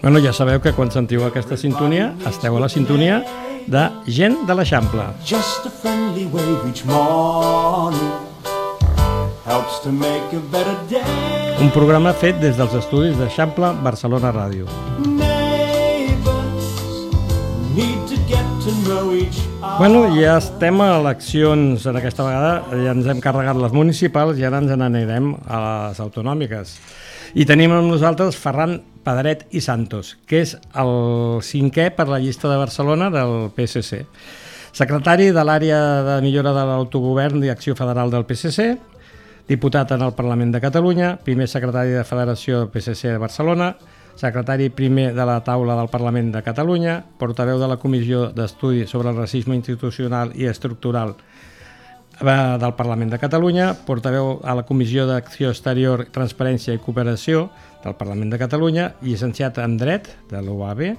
Bueno, ja sabeu que quan sentiu aquesta sintonia, esteu a la sintonia de Gent de l'Eixample. Just a friendly wave each morning helps to make a better day. Un programa fet des dels estudis d'Eixample Barcelona Ràdio. Neighbors need to get to know each other. Bueno, ja estem a eleccions en aquesta vegada, ja ens hem carregat les municipals i ara ens n'anirem a les autonòmiques. I tenim amb nosaltres Ferran Pedret i Santos, que és el 5è per la llista de Barcelona del PSC. Secretari de l'àrea de millora de l'autogovern i acció federal del PSC, diputat en el Parlament de Catalunya, primer secretari de Federació del PSC de Barcelona, secretari primer de la taula del Parlament de Catalunya, portaveu de la Comissió d'Estudi sobre el Racisme Institucional i Estructural del Parlament de Catalunya, portaveu a la Comissió d'Acció Exterior, Transparència i Cooperació del Parlament de Catalunya, llicenciat en Dret de l'UAB,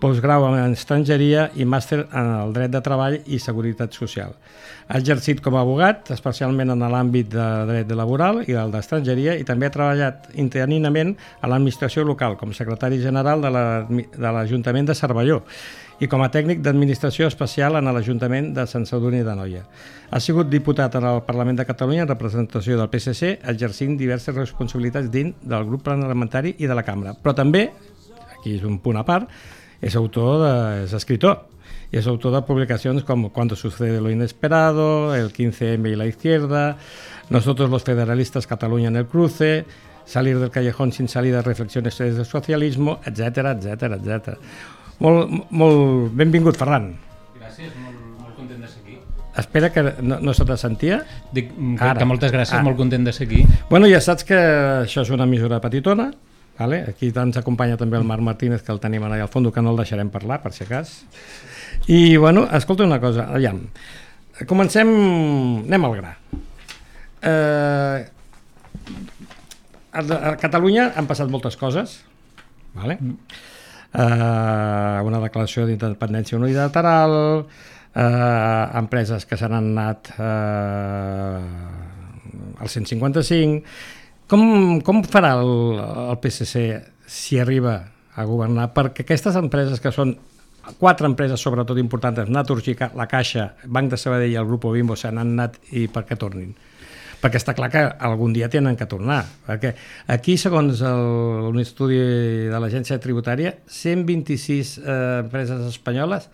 postgrau en Estrangeria i màster en el Dret de Treball i Seguretat Social. Ha exercit com a abogat, especialment en l'àmbit de dret laboral i el d'estrangeria, i també ha treballat interinament a l'administració local, com secretari general de l'Ajuntament de Cervelló i com a tècnic d'administració especial en l'Ajuntament de Sant Sadurní d'Anoia. Ha sigut diputat en el Parlament de Catalunya en representació del PSC, exercint diverses responsabilitats dins del grup parlamentari i de la Cambra. Però també, aquí és un punt a part, és escritor. Y es autor de publicaciones como Cuando sucede lo inesperado, El 15M y la izquierda, Nosotros los federalistas, Cataluña en el cruce, Salir del callejón sin salida, Reflexiones del socialismo, etcètera, etcètera, etcètera. Molt benvingut, Ferran. Gràcies, molt content de ser aquí. Espera que no se te sentia. Dic que moltes gràcies, molt content de ser aquí. Bueno, ja saps que això és una emissora petitona, vale? Aquí ens acompanya també el Marc Martínez, que el tenim allà al fons, que no el deixarem parlar, per si cas. I, bueno, escolta una cosa, aviam. Anem al gra. A Catalunya han passat moltes coses, vale? Una declaració d'independència unilateral, empreses que se n'han anat al 155. Com farà el PSC si arriba a governar? Perquè aquestes empreses, que són 4 empreses sobretot importants, Naturgy, La Caixa, Banc de Sabadell i el Grupo Bimbo, se n'han anat i per què tornin? Perquè està clar que algun dia tenen que tornar. Perquè aquí, segons un estudi de l'Agència Tributària, 126 empreses espanyoles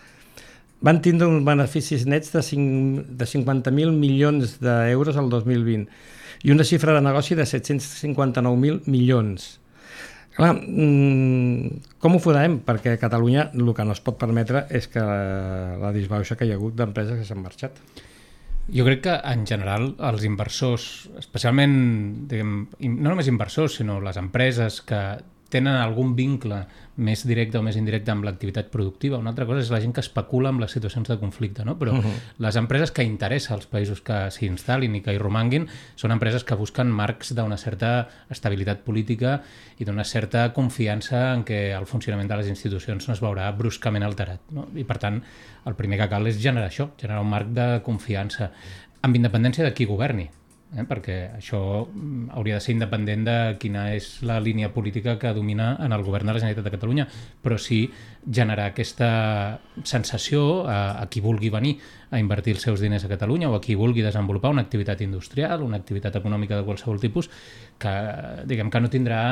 van tindre uns beneficis nets de 50.000 milions d'euros el 2020 i una xifra de negoci de 759.000 milions. Clar, com ho farem? Perquè a Catalunya el que no es pot permetre és que la disbauxa que hi ha hagut d'empreses que s'han marxat. Jo crec que, en general, els inversors, especialment, no només inversors, sinó les empreses que tenen algun vincle més directe o més indirecte amb l'activitat productiva. Una altra cosa és la gent que especula amb les situacions de conflicte, no? Però les empreses que interessa als països que s'hi instal·lin i que hi romanguin són empreses que busquen marcs d'una certa estabilitat política i d'una certa confiança en què el funcionament de les institucions no es veurà bruscament alterat, no? I, per tant, el primer que cal és generar això, generar un marc de confiança, amb independència de qui governi. Perquè això hauria de ser independent de quina és la línia política que domina en el govern de la Generalitat de Catalunya, però sí generar aquesta sensació a qui vulgui venir a invertir els seus diners a Catalunya o a qui vulgui desenvolupar una activitat industrial, una activitat econòmica de qualsevol tipus, que diguem que no tindrà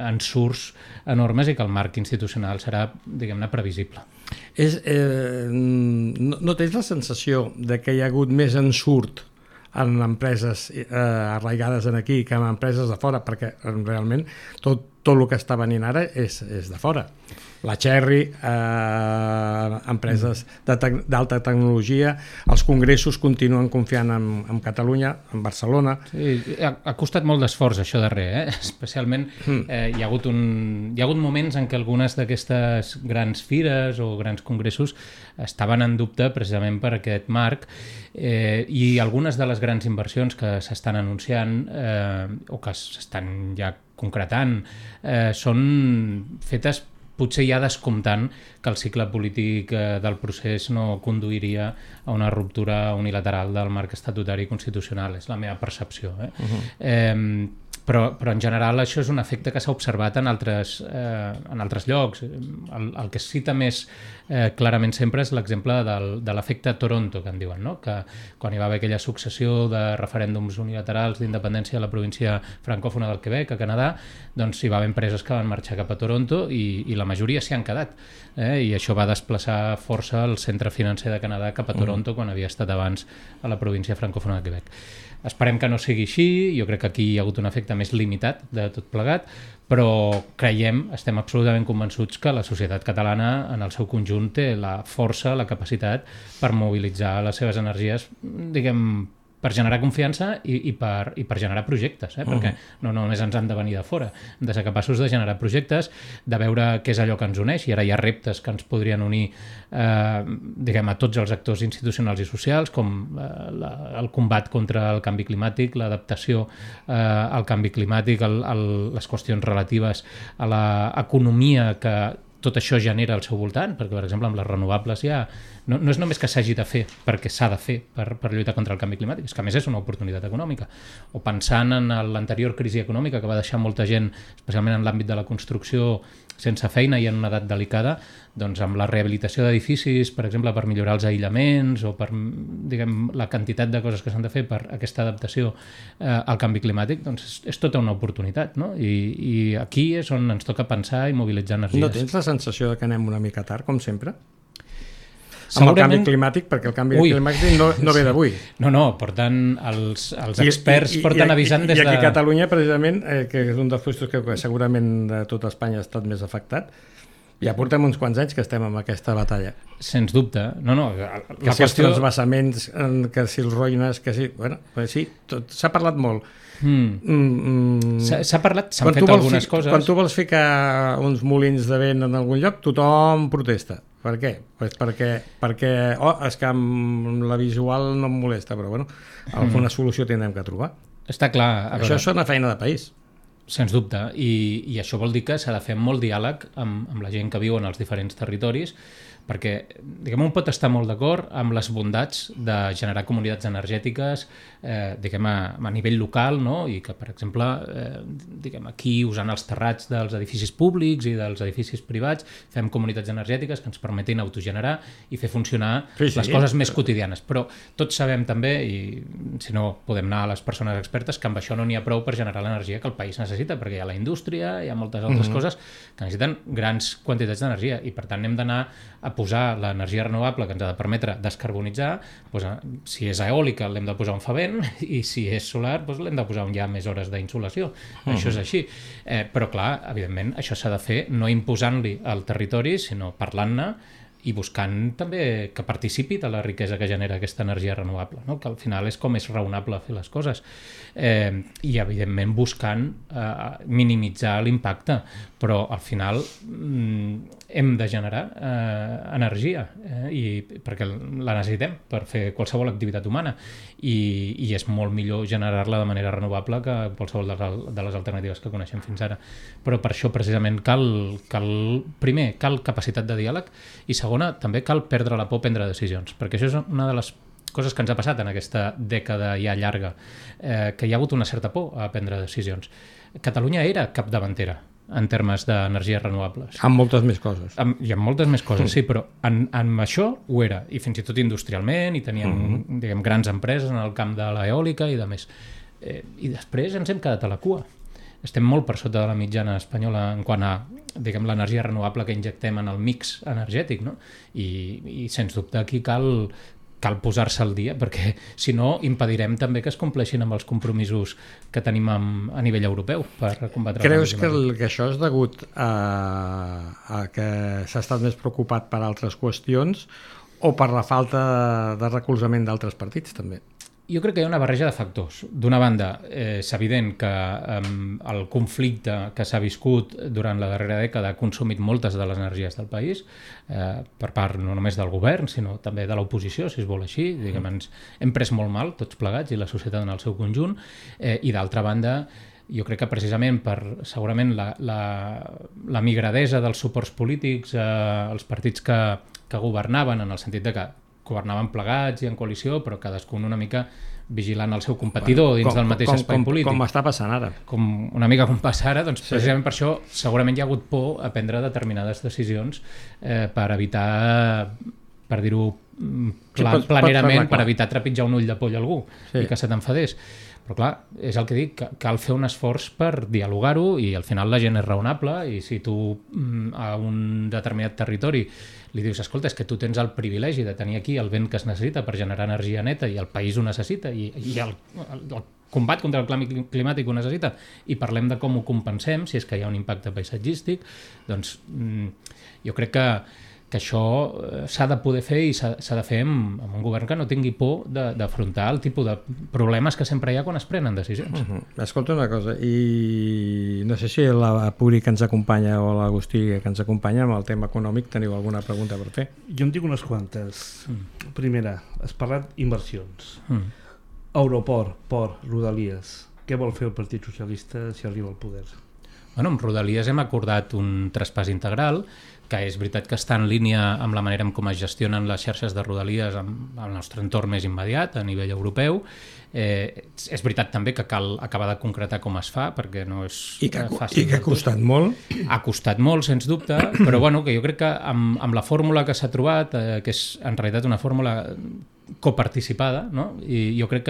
ensurts enormes i que el marc institucional serà, diguem-ne, previsible. No tens la sensació de que hi ha hagut més ensurt en empreses arraigades aquí que en empreses de fora, perquè realment tot el que està venint ara és de fora. La Cherry, empreses d'alta tecnologia, els congressos continuen confiant en Catalunya, en Barcelona. Sí, ha costat molt d'esforç això darrer, especialment hi ha hagut moments en què algunes d'aquestes grans fires o grans congressos estaven en dubte precisament per aquest marc i algunes de les grans inversions que s'estan anunciant o que s'estan ja concretant són fetes potser ja descomptant que el cicle polític del procés no conduiria a una ruptura unilateral del marc estatutari constitucional. És la meva percepció. Però en general això és un efecte que s'ha observat en altres llocs. El que es cita més clarament sempre és l'exemple de l'efecte Toronto, que en diuen, no? Que quan hi va haver aquella successió de referèndums unilaterals d'independència a la província francòfona del Quebec, a Canadà, doncs hi va haver empreses que van marxar cap a Toronto i la majoria s'hi han quedat. I això va desplaçar força el centre financer de Canadà cap a Toronto quan havia estat abans a la província francòfona de Quebec. Esperem que no sigui així, jo crec que aquí hi ha hagut un efecte més limitat de tot plegat, però estem absolutament convençuts que la societat catalana en el seu conjunt té la força, la capacitat per mobilitzar les seves energies, diguem, per generar confiança i per generar projectes, perquè no només ens han de venir de fora, hem de ser capaços de generar projectes, de veure què és allò que ens uneix, i ara hi ha reptes que ens podrien unir diguem, a tots els actors institucionals i socials, com el combat contra el canvi climàtic, l'adaptació al canvi climàtic, les qüestions relatives a l'economia que tot això genera al seu voltant, perquè, per exemple, amb les renovables ja no és només que s'hagi de fer perquè s'ha de fer per lluitar contra el canvi climàtic, és que a més és una oportunitat econòmica. O pensant en l'anterior crisi econòmica que va deixar molta gent, especialment en l'àmbit de la construcció, sense feina i en una edat delicada, doncs amb la rehabilitació d'edificis, per exemple, per millorar els aïllaments o per, diguem, la quantitat de coses que s'han de fer per aquesta adaptació al canvi climàtic, doncs és tota una oportunitat, no? I aquí és on ens toca pensar i mobilitzar energies. No tens la sensació de que anem una mica tard, com sempre? Amb el canvi climàtic, perquè el canvi climàtic no ve d'avui. No, porten els experts porten avisant des de... I aquí a Catalunya, precisament, que és un dels puestos que segurament de tota Espanya ha estat més afectat, ja portem uns quants anys que estem en aquesta batalla. Sens dubte. No, que si els transvasaments, que si els roïnes, que si... Bueno, sí, s'ha parlat molt. S'ha parlat, s'han fet algunes coses. Quan tu vols ficar uns molins de vent en algun lloc, tothom protesta. Per què? Pues perquè és que amb la visual no em molesta, però bueno, alguna solució tindrem que trobar. Està clar. Això és una feina de país. Sens dubte, i això vol dir que s'ha de fer molt diàleg amb la gent que viu en els diferents territoris, perquè, diguem, un pot estar molt d'acord amb les bondats de generar comunitats energètiques, diguem, a nivell local, no? I que, per exemple, diguem, aquí, usant els terrats dels edificis públics i dels edificis privats, fem comunitats energètiques que ens permetin autogenerar i fer funcionar les coses més quotidianes. Però tots sabem també, i si no podem anar a les persones expertes, que amb això no n'hi ha prou per generar l'energia que el país necessita, perquè hi ha la indústria, hi ha moltes altres coses que necessiten grans quantitats d'energia, i per tant hem d'anar a posar l'energia renovable que ens ha de permetre descarbonitzar, doncs, si és eòlica l'hem de posar on fa vent, i si és solar doncs l'hem de posar on hi ha més hores d'insolació. Això és així. Però clar, evidentment, això s'ha de fer no imposant-li al territori, sinó parlant-ne i buscant també que participi de la riquesa que genera aquesta energia renovable, no? Que al final és com és raonable fer les coses. I evidentment buscant minimitzar l'impacte, però al final hem de generar energia, perquè la necessitem per fer qualsevol activitat humana, i és molt millor generar-la de manera renovable que qualsevol de les alternatives que coneixem fins ara. Però per això precisament primer cal capacitat de diàleg, i segona, també cal perdre la por a prendre decisions, perquè això és una de les coses que ens ha passat en aquesta dècada ja llarga, que hi ha hagut una certa por a prendre decisions. Catalunya era capdavantera en termes d'energies renovables. Amb moltes més coses. I amb moltes més coses, sí, però en això ho era, i fins i tot industrialment, i teníem diguem, grans empreses en el camp de l'eòlica i de més. I després ens hem quedat a la cua. Estem molt per sota de la mitjana espanyola en quant a, diguem, l'energia renovable que injectem en el mix energètic, no? I sens dubte aquí cal posar-se al dia, perquè si no impedirem també que es compleixin amb els compromisos que tenim a nivell europeu per combatre el canvi climàtic. Creus que això és degut a que s'ha estat més preocupat per altres qüestions o per la falta de recolzament d'altres partits també? Jo crec que hi ha una barreja de factors. D'una banda, és evident que el conflicte que s'ha viscut durant la darrera dècada ha consumit moltes de les energies del país, per part no només del govern, sinó també de l'oposició, si es vol així. Diguem, ens hem pres molt mal, tots plegats, i la societat en el seu conjunt, i d'altra banda, jo crec que precisament per, segurament, la migradesa dels suports polítics, els partits que governaven, en el sentit de que governaven plegats i en coalició, però cadascun una mica vigilant el seu competidor dins del mateix espai polític. Com està passant ara. Una mica com passa ara, doncs precisament per això segurament hi ha hagut por a prendre determinades decisions per evitar, per dir-ho planerament, per evitar trepitjar un ull de poll a algú i que se t'enfadés. Però clar, és el que dic, cal fer un esforç per dialogar-ho i al final la gent és raonable i si tu a un determinat territori li dius, escolta, és que tu tens el privilegi de tenir aquí el vent que es necessita per generar energia neta i el país ho necessita i el combat contra el canvi climàtic ho necessita i parlem de com ho compensem, si és que hi ha un impacte paisatgístic, doncs jo crec que això s'ha de poder fer i s'ha de fer amb un govern que no tingui por d'afrontar el tipus de problemes que sempre hi ha quan es prenen decisions. Escolta una cosa, i no sé si la Puri que ens acompanya o l'Agustí que ens acompanya amb el tema econòmic teniu alguna pregunta per fer? Jo en dic unes quantes. Primera, has parlat inversions. Aeroport, port, Rodalies. Què vol fer el Partit Socialista si arriba al poder? Bueno, amb Rodalies hem acordat un traspàs integral que és veritat que està en línia amb la manera en com es gestionen les xarxes de Rodalies amb el nostre entorn més immediat a nivell europeu. És veritat també que cal acabar de concretar com es fa perquè no és fàcil. I que ha costat molt. Ha costat molt, sens dubte, però bueno, que jo crec que amb la fórmula que s'ha trobat, que és en realitat una fórmula coparticipada, no? I jo crec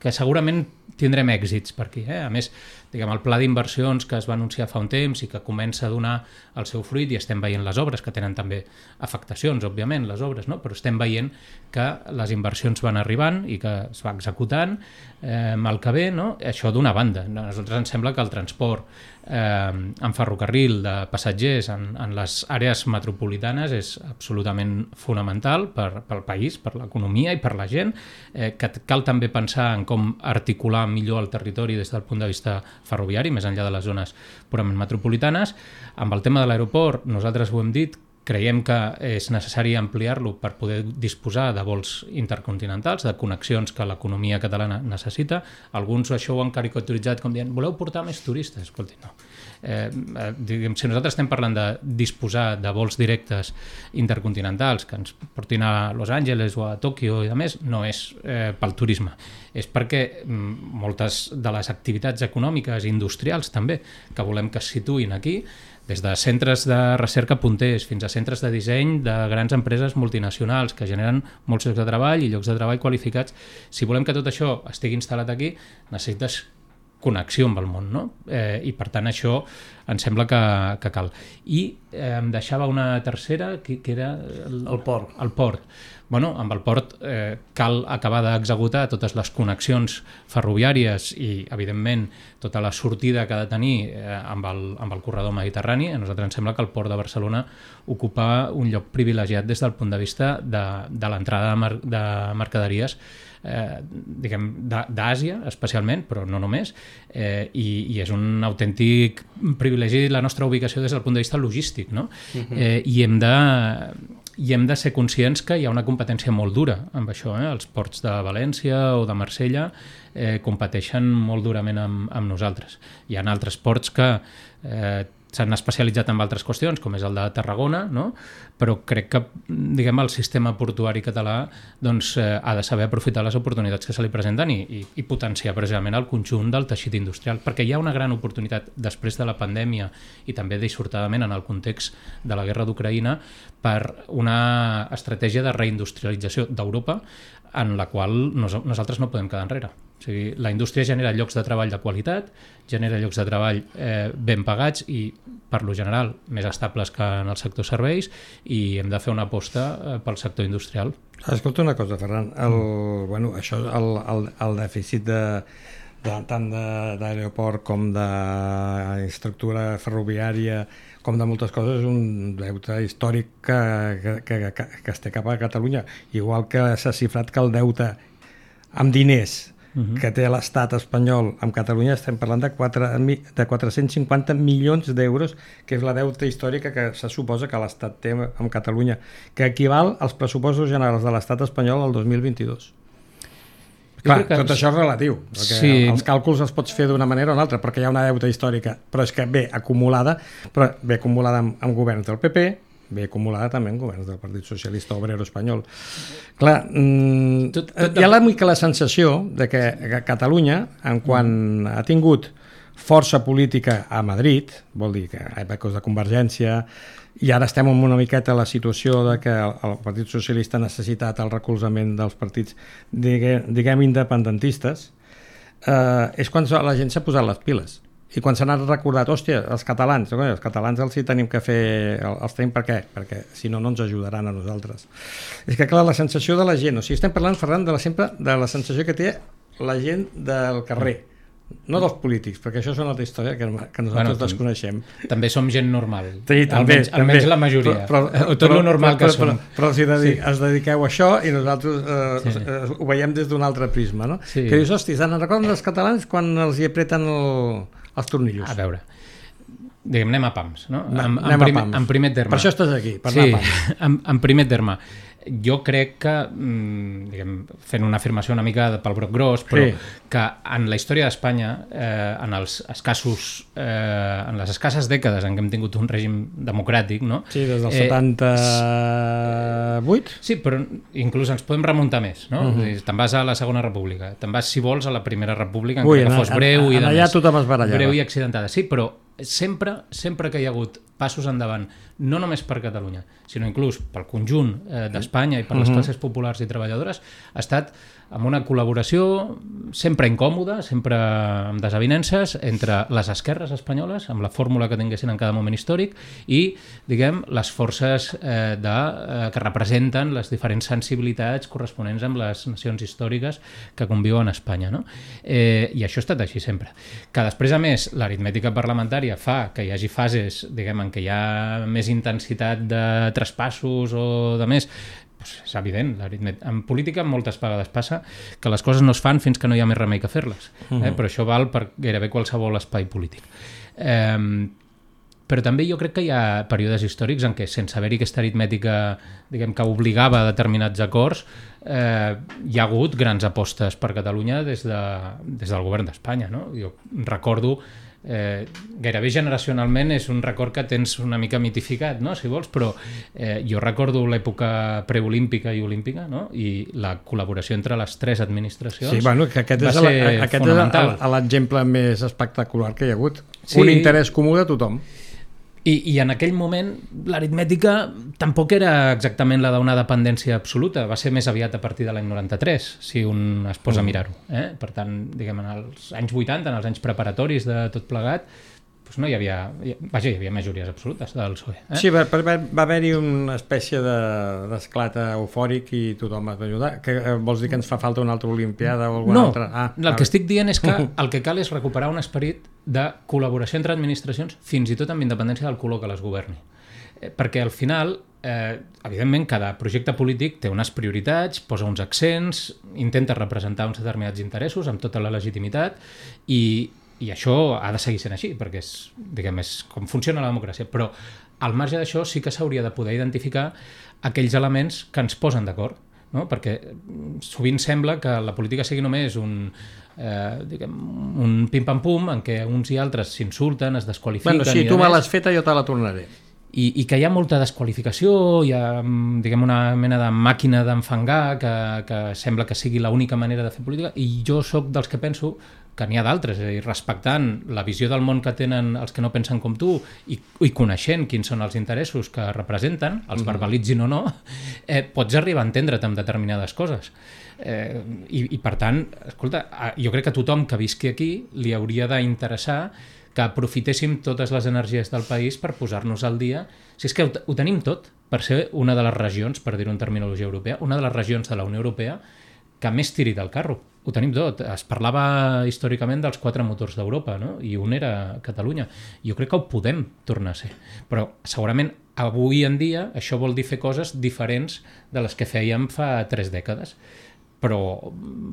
que segurament tindrem èxits per aquí. A més, diguem, el pla d'inversions que es va anunciar fa un temps i que comença a donar el seu fruit i estem veient les obres, que tenen també afectacions, òbviament, les obres, no? Però estem veient que les inversions van arribant i que es va executant el que ve, no? Això d'una banda. A nosaltres ens sembla que el transport en ferrocarril de passatgers en les àrees metropolitanes és absolutament fonamental pel país, per l'economia i per la gent, que cal també pensar en com articular millor el territori des del punt de vista ferroviari, més enllà de les zones purament metropolitanes. Amb el tema de l'aeroport, nosaltres ho hem dit, creiem que és necessari ampliar-lo per poder disposar de vols intercontinentals, de connexions que l'economia catalana necessita. Alguns això ho han caricaturitzat com dient, voleu portar més turistes? Escolti, no. Si nosaltres estem parlant de disposar de vols directes intercontinentals que ens portin a Los Angeles o a Tòquio i a més, no és pel turisme. És perquè moltes de les activitats econòmiques i industrials també que volem que es situïn aquí, des de centres de recerca punters fins a centres de disseny de grans empreses multinacionals que generen molts llocs de treball i llocs de treball qualificats. Si volem que tot això estigui instal·lat aquí, necessites connexió amb el món, no? I per tant això em sembla que cal. I em deixava una tercera, que era el port. El port. Bueno, amb el port cal acabar d'executar totes les connexions ferroviàries i, evidentment, tota la sortida que ha de tenir amb el corredor mediterrani. A nosaltres ens sembla que el port de Barcelona ocupa un lloc privilegiat des del punt de vista de l'entrada de mercaderies d'Àsia especialment, però no només, i és un autèntic privilegi la nostra ubicació des del punt de vista logístic, no? I hem de ser conscients que hi ha una competència molt dura amb això. Els ports de València o de Marsella competeixen molt durament amb nosaltres. Hi ha altres ports que s'han especialitzat en altres qüestions, com és el de Tarragona, no? Però crec que el sistema portuari català ha de saber aprofitar les oportunitats que se li presenten i potenciar precisament el conjunt del teixit industrial, perquè hi ha una gran oportunitat després de la pandèmia i també dissortadament en el context de la guerra d'Ucraïna per una estratègia de reindustrialització d'Europa en la qual nosaltres no podem quedar enrere. O sigui, la indústria genera llocs de treball de qualitat, genera llocs de treball ben pagats i, per lo general, més estables que en el sector serveis, i hem de fer una aposta pel sector industrial. Escolta una cosa, Ferran, el dèficit tant d'aeroport com d'infraestructura ferroviària com de moltes coses és un deute històric que es té cap a Catalunya, igual que s'ha xifrat que el deute amb diners que té l'estat espanyol amb Catalunya estem parlant de 450 milions d'euros, que és la deuta històrica que se suposa que l'estat té amb Catalunya, que equival als pressupostos generals de l'estat espanyol al 2022. Clar, tot això és relatiu, perquè sí, els càlculs els pots fer d'una manera o una altra, perquè hi ha una deuta històrica, però és que ve acumulada amb governs del PP, ve acumulada també en governs del Partit Socialista Obrero Espanyol. Clar, hi ha la sensació de que Catalunya, en quan ha tingut força política a Madrid, vol dir que a èpoques de Convergència, i ara estem en una miqueta la situació de que el Partit Socialista ha necessitat el recolzament dels partits, diguem independentistes, és quan la gent s'ha posat les piles. I quan s'han recordat, hòstia, els catalans els hi tenim que fer, els tenim per què? Perquè si no, no ens ajudaran a nosaltres. És que clar, la sensació de la gent, o sigui, estem parlant, Ferran, sempre de la sensació que té la gent del carrer, no dels polítics, perquè això és una altra història que nosaltres desconeixem. També som gent normal, sí, almenys la majoria, tot lo normal que som. Però si es dediqueu a això i nosaltres ho veiem des d'un altre prisma, no? Sí. Que dius, hòstia, se'n recorden els catalans quan els hi apreten els tornillos? A veure, diguem, anem a pams, no? En primer terme. Per això estàs aquí, per anar a pams. En primer terme, jo crec que, diguem, fent una afirmació una mica pel broc gros, però que en la història d'Espanya, en les escasses dècades en què hem tingut un règim democràtic, no? Sí, des del 78? Sí, però inclús ens podem remuntar més, no? Te'n vas a la Segona República, te'n vas, si vols, a la Primera República, encara que fos breu i allà tothom es barallava. Breu i accidentada. Sí, però sempre que hi ha hagut passos endavant, no només per Catalunya, sinó inclús pel conjunt d'Espanya i per les classes populars i treballadores, ha estat amb una col·laboració sempre incòmoda, sempre amb desavinences entre les esquerres espanyoles, amb la fórmula que tinguessin en cada moment històric, i, diguem, les forces que representen les diferents sensibilitats corresponents amb les nacions històriques que conviuen a Espanya, no? I això ha estat així sempre. Que després, a més, l'aritmètica parlamentària fa que hi hagi fases, diguem, en què hi ha més intensitat de traspassos o de més, és evident, en política moltes vegades passa que les coses no es fan fins que no hi ha més remei que fer-les, però això val per gairebé qualsevol espai polític. Però també jo crec que hi ha períodes històrics en què, sense haver-hi aquesta aritmètica, diguem, que obligava a determinats acords, hi ha hagut grans apostes per Catalunya des del govern d'Espanya, no? Jo recordo, gairebé generacionalment és un record que tens una mica mitificat, no? Si vols, però jo recordo l'època preolímpica i olímpica, no? I la col·laboració entre les tres administracions, sí, bueno, que aquest és l'exemple més espectacular que hi ha hagut. Sí. Un interès comú de tothom. I en aquell moment l'aritmètica tampoc era exactament la d'una dependència absoluta, va ser més aviat a partir de l'any 93, si un es posa a mirar-ho. Per tant, diguem, en els anys 80, en els anys preparatoris de tot plegat, doncs no hi havia majories absolutes del PSOE. Sí, va haver-hi una espècie d'esclat eufòric i tothom es va ajudar. Vols dir que ens fa falta una altra olimpiada o alguna altra? El que estic dient és que el que cal és recuperar un esperit de col·laboració entre administracions, fins i tot amb independència del color que les governi. Perquè al final, evidentment, cada projecte polític té unes prioritats, posa uns accents, intenta representar uns determinats interessos amb tota la legitimitat i això ha de seguir sent així, perquè és com funciona la democràcia. Però al marge d'això sí que s'hauria de poder identificar aquells elements que ens posen d'acord, no? Perquè sovint sembla que la política sigui només un pim-pam-pum en què uns i altres s'insulten, es desqualifiquen... Bueno, si tu me l'has feta, jo te la tornaré. I que hi ha molta desqualificació, hi ha, diguem, una mena de màquina d'enfangar que sembla que sigui l'única manera de fer política, i jo sóc dels que penso que n'hi ha d'altres, és a dir, respectant la visió del món que tenen els que no pensen com tu i coneixent quins són els interessos que representen, els verbalitzin o no, pots arribar a entendre't amb determinades coses. I per tant, escolta, jo crec que a tothom que visqui aquí li hauria d'interessar que aprofitéssim totes les energies del país per posar-nos al dia. Si és que ho tenim tot per ser una de les regions, per dir-ho en terminologia europea, una de les regions de la Unió Europea que més tiri del carro. Ho tenim tot. Es parlava històricament dels 4 motors d'Europa, no? I un era Catalunya. Jo crec que ho podem tornar a ser. Però segurament avui en dia això vol dir fer coses diferents de les que fèiem fa 3 dècades. però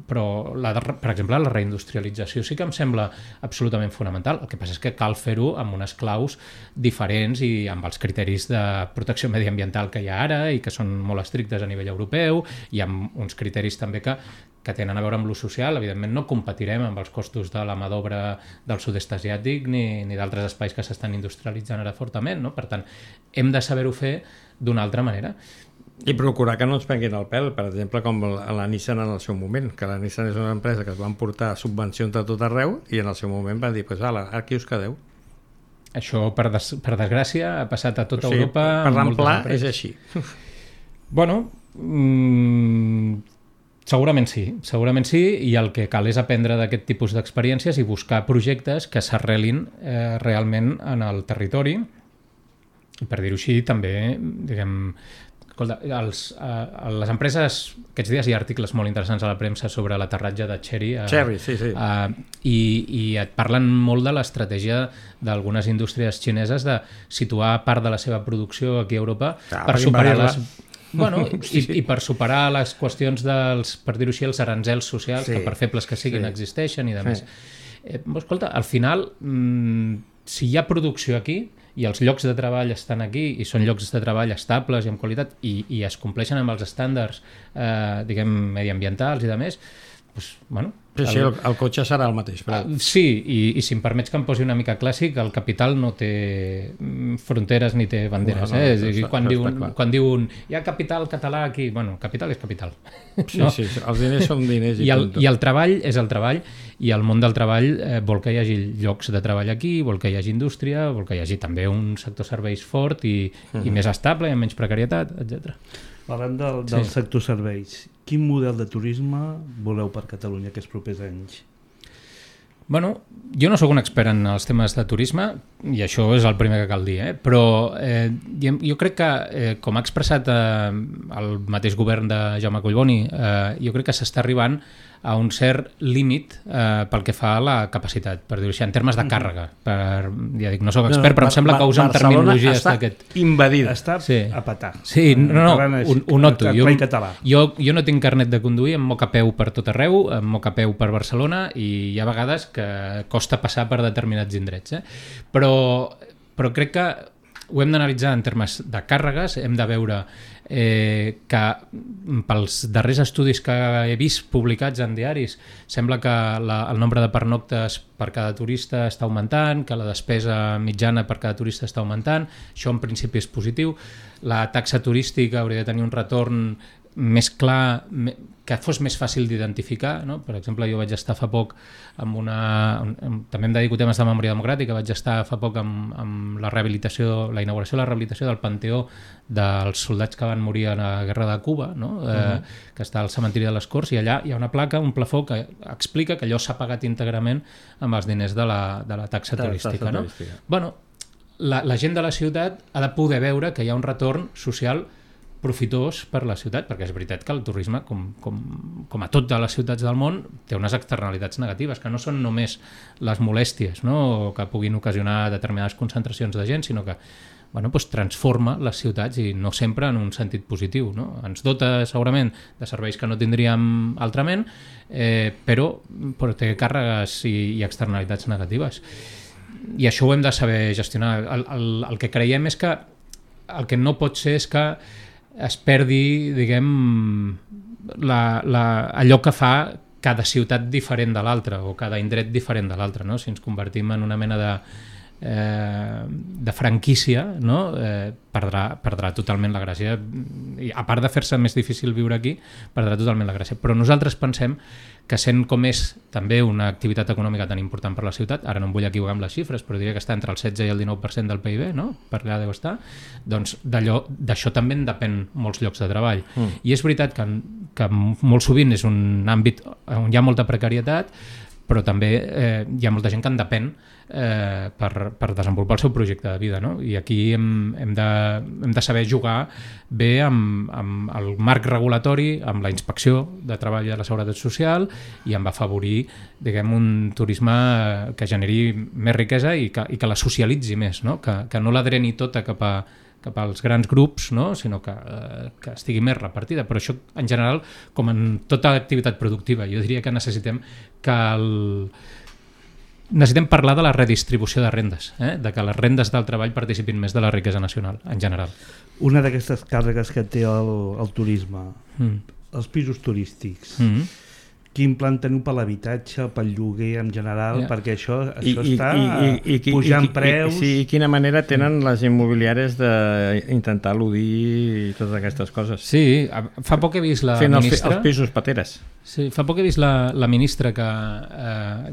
per exemple, la reindustrialització sí que em sembla absolutament fonamental. El que passa és que cal fer-ho amb unes claus diferents i amb els criteris de protecció mediambiental que hi ha ara i que són molt estrictes a nivell europeu, i amb uns criteris també que tenen a veure amb l'ús social. Evidentment no competirem amb els costos de la mà d'obra del sud-est asiàtic ni d'altres espais que s'estan industrialitzant ara fortament, no? Per tant, hem de saber-ho fer d'una altra manera. I procurar que no ens prenguin el pèl, per exemple, com la Nissan en el seu moment, que la Nissan és una empresa que es van portar subvencions de tot arreu i en el seu moment van dir, pues, aquí us quedeu. Això, per desgràcia, ha passat a tota Europa. Per l'amplà és així. Bueno, segurament sí, i el que cal és aprendre d'aquest tipus d'experiències i buscar projectes que s'arrelin realment en el territori. I per dir-ho així, també, diguem, escolta, les empreses, aquests dies hi ha articles molt interessants a la premsa sobre l'aterratge de Chery. Chery, sí. I et parlen molt de l'estratègia d'algunes indústries xineses de situar part de la seva producció aquí a Europa per superar les... Bueno, i per superar les qüestions dels, per dir-ho així, els aranzels socials, que per febles que siguin existeixen i de més. Escolta, al final, si hi ha producció aquí i els llocs de treball estan aquí i són llocs de treball estables i amb qualitat i es compleixen amb els estàndards diguem, mediambientals i de més, doncs, bueno... Sí, el cotxe serà el mateix. Però... Sí, i si em permets que em posi una mica clàssic, el capital no té fronteres ni té banderes. Quan diuen hi ha capital català aquí, bueno, capital és capital. Sí, no? Sí, els diners són diners. I el treball és el treball, i el món del treball vol que hi hagi llocs de treball aquí, vol que hi hagi indústria, vol que hi hagi també un sector serveis fort i més estable, i amb menys precarietat, etc. Parlant del sector serveis, quin model de turisme voleu per Catalunya aquests propers anys? Bueno, jo no sóc un expert en els temes de turisme i això és el primer que cal dir, però jo crec que, com ha expressat el mateix govern de Jaume Collboni, jo crec que s'està arribant a un cert límit pel que fa a la capacitat, per dir-ho així, en termes de càrrega. Ja dic, no sóc expert, però em sembla que usen terminologies d'aquest... Barcelona està invadida. Està a petar. Sí, ho noto. Jo no tinc carnet de conduir, em moc a peu per tot arreu, em moc a peu per Barcelona i hi ha vegades que costa passar per determinats indrets. Però crec que ho hem d'analitzar en termes de càrregues, hem de veure que pels darrers estudis que he vist publicats en diaris sembla que el nombre de pernoctes per cada turista està augmentant, que la despesa mitjana per cada turista està augmentant. Això en principi és positiu. La taxa turística hauria de tenir un retorn més clar, que fos més fàcil d'identificar, no? Per exemple, jo vaig estar fa poc també em dedico a temes de memòria democràtica, vaig estar fa poc amb la rehabilitació, la inauguració de la rehabilitació del Panteó dels soldats que van morir a la Guerra de Cuba, no? Que està al cementiri de les Corts, i allà hi ha una placa, un plafó que explica que allò s'ha pagat íntegrament amb els diners de la taxa turística. No? Bueno, la gent de la ciutat ha de poder veure que hi ha un retorn social profitós per la ciutat, perquè és veritat que el turisme, com a totes les ciutats del món, té unes externalitats negatives, que no són només les molèsties, no? Que puguin ocasionar determinades concentracions de gent, sinó que transforma les ciutats i no sempre en un sentit positiu. No? Ens dota segurament de serveis que no tindríem altrament, però té càrregues i externalitats negatives. I això ho hem de saber gestionar. El que creiem és que el que no pot ser és que es perdi, diguem, allò que fa cada ciutat diferent de l'altra o cada indret diferent de l'altre, no? Si ens convertim en una mena de franquícia, no? Perdrà totalment la gràcia. I a part de fer-se més difícil viure aquí, perdrà totalment la gràcia. Però nosaltres pensem que sent com és també una activitat econòmica tan important per la ciutat, ara no em vull equivocar amb les xifres, però diria que està entre el 16 i el 19% del PIB, no? Per allà deu estar, doncs d'això també en depèn molts llocs de treball. I és veritat que molt sovint és un àmbit on hi ha molta precarietat, però també hi ha molta gent que en depèn per desenvolupar el seu projecte de vida, no? I aquí hem de saber jugar bé amb el marc regulatori, amb la inspecció de treball i de la seguretat social i amb afavorir, diguem, un turisme que generi més riquesa i que la socialitzi més, no? Que no la dreni tota cap cap als grans grups, no? Sinó que estigui més repartida. Però això, en general, com en tota activitat productiva, jo diria que necessitem parlar de la redistribució de rendes, de que les rendes del treball participin més de la riquesa nacional, en general. Una d'aquestes càrregues que té el turisme, els pisos turístics, quin plan teniu per l'habitatge, pel lloguer en general, perquè això està pujant preus... I quina manera tenen les immobiliàries d'intentar eludir totes aquestes coses. Sí, fa poc he vist la ministra... Els pisos pateres. Sí, fa poc he vist la ministra que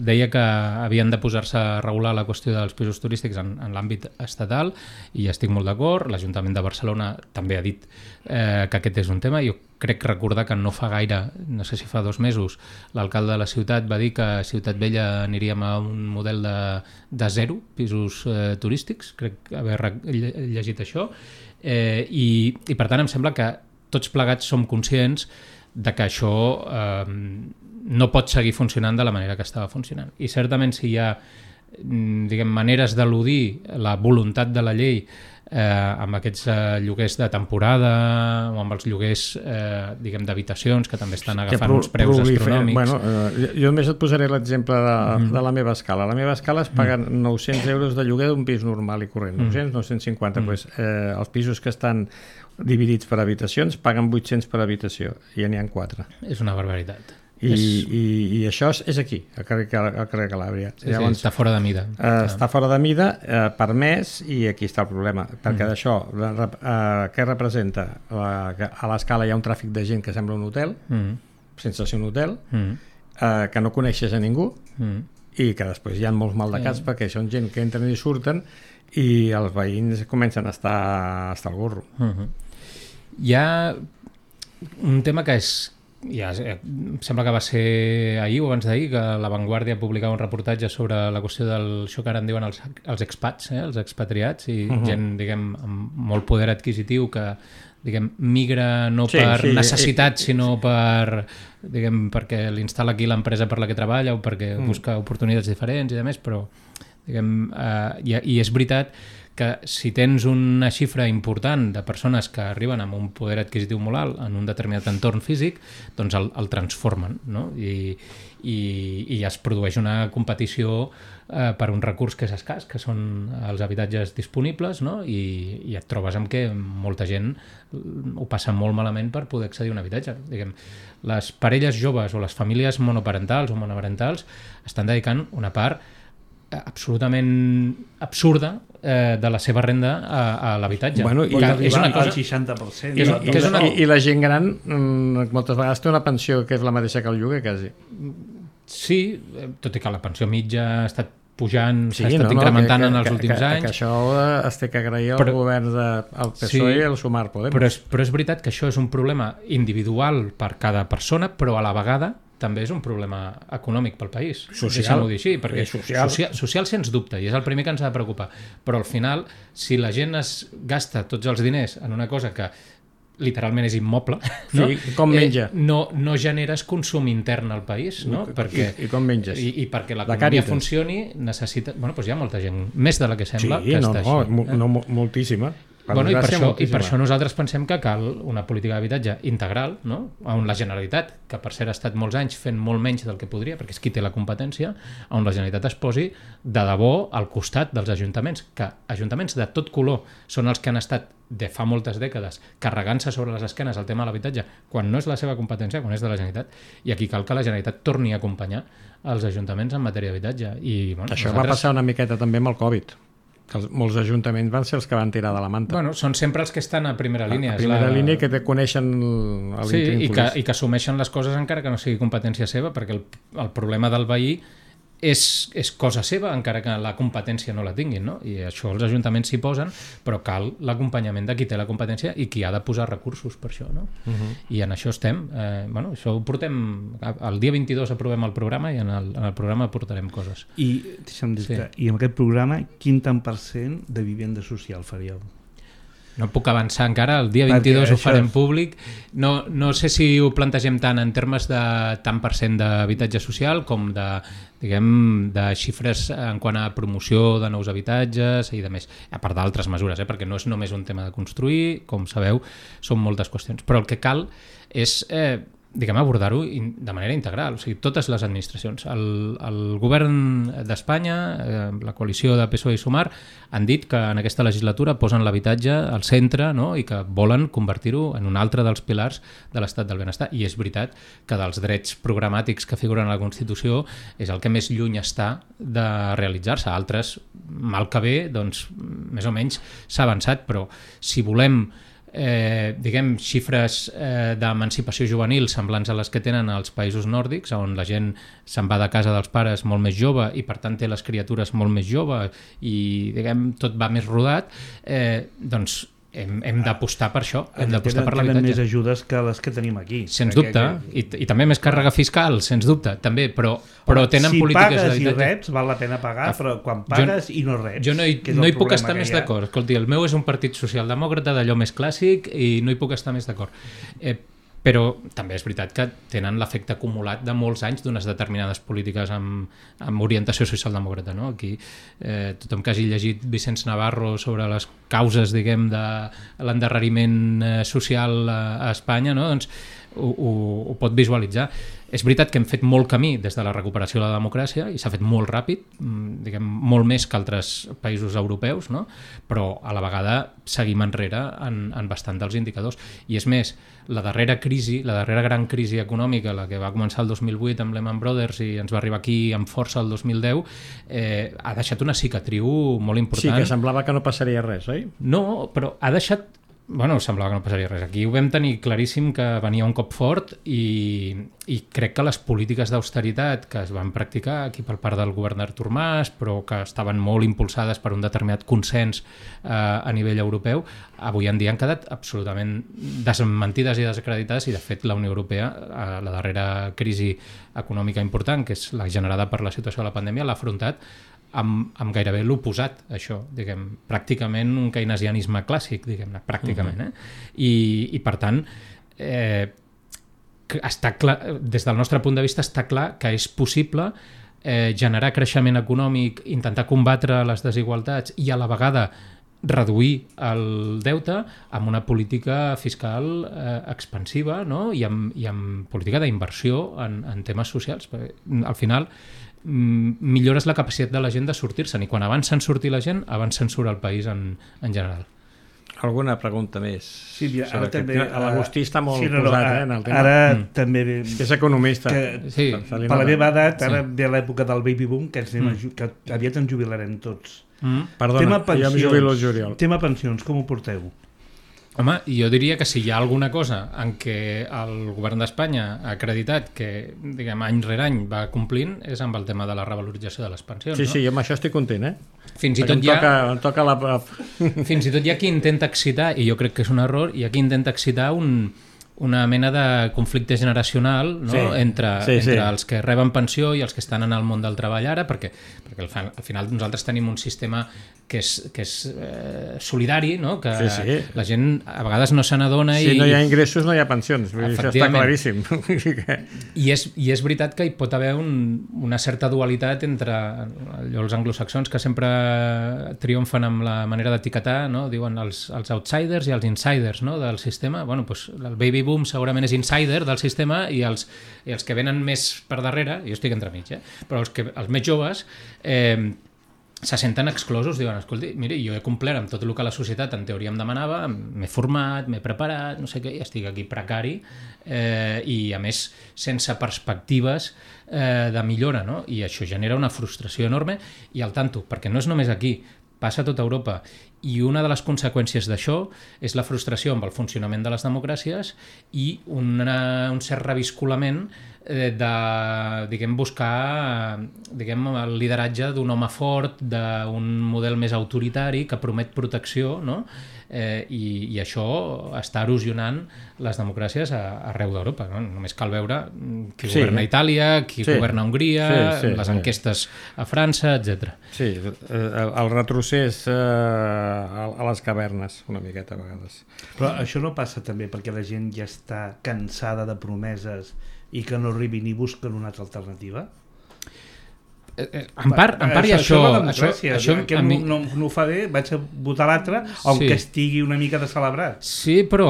deia que havien de posar-se a regular la qüestió dels pisos turístics en l'àmbit estatal, i estic molt d'acord. L'Ajuntament de Barcelona també ha dit que aquest és un tema. Jo crec recordar que no fa gaire, no sé si fa 2 mesos, l'alcalde de la ciutat va dir que a Ciutat Vella aniríem a un model de 0 pisos turístics, crec haver llegit això, i per tant em sembla que tots plegats som conscients de que això no pot seguir funcionant de la manera que estava funcionant. I certament si hi ha maneres d'eludir la voluntat de la llei amb aquests lloguers de temporada o amb els lloguers d'habitacions que també estan agafant uns preus astronòmics. Jo només et posaré l'exemple de la meva escala. La meva escala es paguen 900 euros de lloguer d'un pis normal i corrent. 900, 950. Els pisos que estan dividits per habitacions paguen 800 per habitació i ja n'hi ha 4. És una barbaritat. I això és aquí, al carrer Calàbria. Llavors, està fora de mida. Està fora de mida, permès, i aquí està el problema, perquè d'això, què representa? A l'escala hi ha un tràfic de gent que sembla un hotel, sense ser un hotel, que no coneixes a ningú, i que després hi ha molts maldecats perquè són gent que entren i surten i els veïns comencen a estar al gorro. Hi ha un tema que em sembla que va ser ahir o abans d'ahir, que La Vanguardia publicava un reportatge sobre la qüestió d'això que ara en diuen els expats, els expatriats, i gent, amb molt poder adquisitiu que migra no per necessitat, sinó perquè l'instal·la aquí l'empresa per la que treballa o perquè busca oportunitats diferents i demés, però i és veritat que si tens una xifra important de persones que arriben amb un poder adquisitiu molt alt en un determinat entorn físic, doncs el transformen, no? I es produeix una competició per un recurs que és escàs, que són els habitatges disponibles, no? I et trobes amb que molta gent ho passa molt malament per poder accedir a un habitatge. Les parelles joves o les famílies monoparentals o monoparentals estan dedicant una part absolutament absurda de la seva renda a l'habitatge. És una cosa... al 60%. I la gent gran moltes vegades té una pensió que és la mateixa que el lloguer, quasi. Sí, tot i que la pensió mitja ha estat pujant, s'ha estat incrementant en els últims anys. Que això es té que agrair al govern del PSOE i al Sumar Podem. Però és veritat que això és un problema individual per cada persona, però a la vegada també és un problema econòmic pel país. Deixem-ho dir així, perquè social sens dubte, i és el primer que ens ha de preocupar. Però al final, si la gent es gasta tots els diners en una cosa que literalment és immoble, no? Com menja. No generes consum intern al país, no? I com menges. I perquè l'economia funcioni necessita... Doncs hi ha molta gent, més de la que sembla, que està així. Moltíssima. I per això nosaltres pensem que cal una política d'habitatge integral, no? On la Generalitat, que per cert ha estat molts anys fent molt menys del que podria, perquè és qui té la competència, on la Generalitat es posi de debò al costat dels ajuntaments, que ajuntaments de tot color són els que han estat de fa moltes dècades carregant-se sobre les esquenes el tema de l'habitatge, quan no és la seva competència, quan és de la Generalitat, i aquí cal que la Generalitat torni a acompanyar els ajuntaments en matèria d'habitatge. Això va passar una miqueta també amb el Covid, que molts ajuntaments van ser els que van tirar de la manta. Són sempre els que estan a primera línia. A primera línia, que te coneixen i que assumeixen les coses encara que no sigui competència seva, perquè el problema del veí és cosa seva, encara que la competència no la tinguin, no? I això els ajuntaments s'hi posen, però cal l'acompanyament de qui té la competència i qui ha de posar recursos per això, no? I en això estem. Això ho portem... El dia 22 aprovem el programa i en el programa portarem coses. I, deixa'm dir-te, i en aquest programa, quin tant % de vivenda social faríeu? No puc avançar encara, el dia 22 ho farem públic. No sé si ho plantegem tant en termes de tant % d'habitatge social com de xifres en quant a promoció de nous habitatges i de més, a part d'altres mesures, perquè no és només un tema de construir, com sabeu, són moltes qüestions. Però el que cal és abordar-ho de manera integral, o sigui, totes les administracions. El govern d'Espanya, la coalició de PSOE i Sumar, han dit que en aquesta legislatura posen l'habitatge al centre, no? I que volen convertir-ho en un altre dels pilars de l'estat del benestar. I és veritat que dels drets programàtics que figuren a la Constitució és el que més lluny està de realitzar-se. Altres, mal que bé, doncs, més o menys s'ha avançat, però si volem xifres d'emancipació juvenil semblants a les que tenen als països nòrdics, on la gent se'n va de casa dels pares molt més jove i per tant té les criatures molt més joves i tot va més rodat, doncs hem d'apostar per això, hem d'apostar per l'habitatge. Tenen més ajudes que les que tenim aquí. Sens dubte, i també més càrrega fiscal, sens dubte, també, però tenen polítiques d'habitatge. Si pagues i reps, val la pena pagar, però quan pagues i no reps... Jo no hi puc estar més d'acord. Escolti, el meu és un partit socialdemòcrata d'allò més clàssic i no hi puc estar més d'acord. Però també és veritat que tenen l'efecte acumulat de molts anys d'unes determinades polítiques amb orientació socialdemòcrata, no? Aquí tothom que hagi llegit Vicenç Navarro sobre les causes, diguem, de l'endarreriment social a Espanya, no? Doncs ho pot visualitzar. És veritat que hem fet molt camí des de la recuperació de la democràcia i s'ha fet molt ràpid, diguem, molt més que altres països europeus, no? Però a la vegada seguim enrere en bastant dels indicadors. I és més, la darrera gran crisi econòmica, la que va començar el 2008 amb Lehman Brothers i ens va arribar aquí amb força el 2010, ha deixat una cicatriu molt important. Sí, que semblava que no passaria res, oi? No, però ha deixat... semblava que no passaria res. Aquí ho vam tenir claríssim que venia un cop fort i crec que les polítiques d'austeritat que es van practicar aquí per part del govern d'Artur Mas, però que estaven molt impulsades per un determinat consens a nivell europeu, avui en dia han quedat absolutament desmentides i desacreditades i de fet la Unió Europea, la darrera crisi econòmica important, que és la generada per la situació de la pandèmia, l'ha afrontat amb gairebé l'oposat, això, diguem, pràcticament un keynesianisme clàssic, diguem-ne, pràcticament. I per tant, està clar, des del nostre punt de vista està clar que és possible generar creixement econòmic, intentar combatre les desigualtats i a la vegada reduir el deute amb una política fiscal expansiva, no? I amb política d'inversió en temes socials. Al final millores la capacitat de la gent de sortir-se'n i quan abans se'n surti la gent, abans se'n surt el país en general. Alguna pregunta més? Sí, ara també... L'Agustí està molt posat en el tema. Ara també... És economista. Per la meva edat, ara ve l'època del baby boom, que aviat ens jubilarem tots. Perdona, jo em jubilo el juliol. Tema pensions, com ho porteu? Home, jo diria que si hi ha alguna cosa en què el govern d'Espanya ha acreditat que, diguem, any rere any va complint, és amb el tema de la revalorització de les pensions. Sí, no? Sí, jo amb això estic content, Fins i tot hi ha qui intenta excitar, i jo crec que és un error, hi ha qui intenta excitar una mena de conflicte generacional, no? entre els que reben pensió i els que estan en el món del treball ara, perquè al final nosaltres tenim un sistema que és solidari, no? Que la gent a vegades no se n'adona. Si no hi ha ingressos no hi ha pensions, això està claríssim. I és veritat que hi pot haver una certa dualitat entre els anglosaxons que sempre triomfen amb la manera d'etiquetar, no? Diuen els outsiders i els insiders, no? Del sistema. Bueno, doncs el baby boom segurament és insider del sistema i els que venen més per darrere, jo estic entremig, però els més joves se senten exclosos, diuen, escolti, mira, jo he complert amb tot el que la societat en teoria em demanava, m'he format, m'he preparat, no sé què, i estic aquí precari i a més sense perspectives de millora, no? I això genera una frustració enorme i al tanto, perquè no és només aquí, passa a tota Europa i una de les conseqüències d'això és la frustració amb el funcionament de les democràcies i un cert reviscolament de buscar el lideratge d'un home fort, d'un model més autoritari que promet protecció, no? I això està erosionant les democràcies arreu d'Europa, no? Només cal veure qui governa a Itàlia, qui governa a Hongria, les enquestes a França, etc. Sí, el retrocés a les cavernes, una miqueta a vegades. Però això no passa també perquè la gent ja està cansada de promeses i que no arribin i busquen una altra alternativa? En part i això que no ho fa bé, vaig a votar l'altre, aunque estigui una mica de celebrat. Sí, però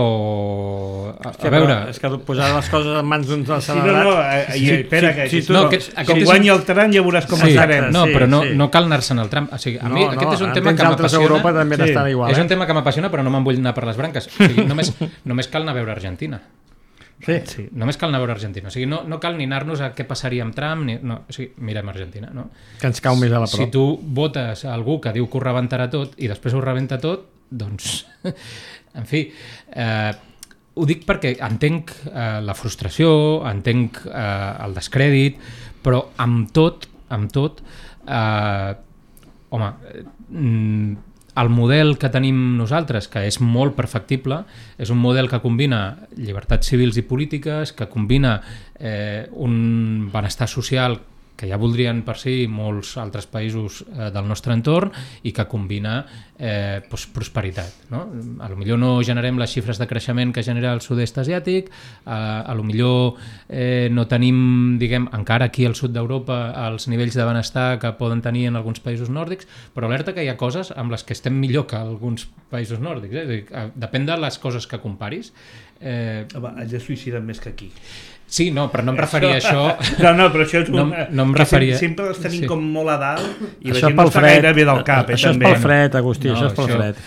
a veure, és que posar les coses en mans d'un celebrat. Espera, com guanyi el tram ja veuràs com estarem. No, però no cal anar-se'n al tram. O sigui, a mi aquest és un tema que m'apassiona. Europa també n'estan igual. És un tema que m'apassiona, però no me'n vull anar per les branques. O sigui, només cal anar a veure Argentina. Sí. Només cal anar a veure Argentina. O sigui, no cal ni anar-nos a què passaria amb Trump, o sigui, mirem Argentina, no? Que ens cau més a la prop. Si tu votes a algú que diu que ho rebentarà tot i després ho rebenta tot, doncs, en fi, ho dic perquè entenc la frustració, entenc el descrèdit, però amb tot, el model que tenim nosaltres, que és molt perfectible, és un model que combina llibertats civils i polítiques, que combina un benestar social que ja voldrien per si molts altres països del nostre entorn i que combina prosperitat. No? A lo millor no generem les xifres de creixement que genera el sud-est asiàtic, a lo millor no tenim, diguem, encara aquí al sud d'Europa els nivells de benestar que poden tenir en alguns països nòrdics, però alerta que hi ha coses amb les que estem millor que alguns països nòrdics. És a dir, depèn de les coses que comparis. Allà suïciden més que aquí. Sí, no, però no em referia a això. No, però això és una... No em referia... Sempre els tenim com molt a dalt i la gent no està gaire bé del cap. Això és pel fred, Agustí, això és pel fred.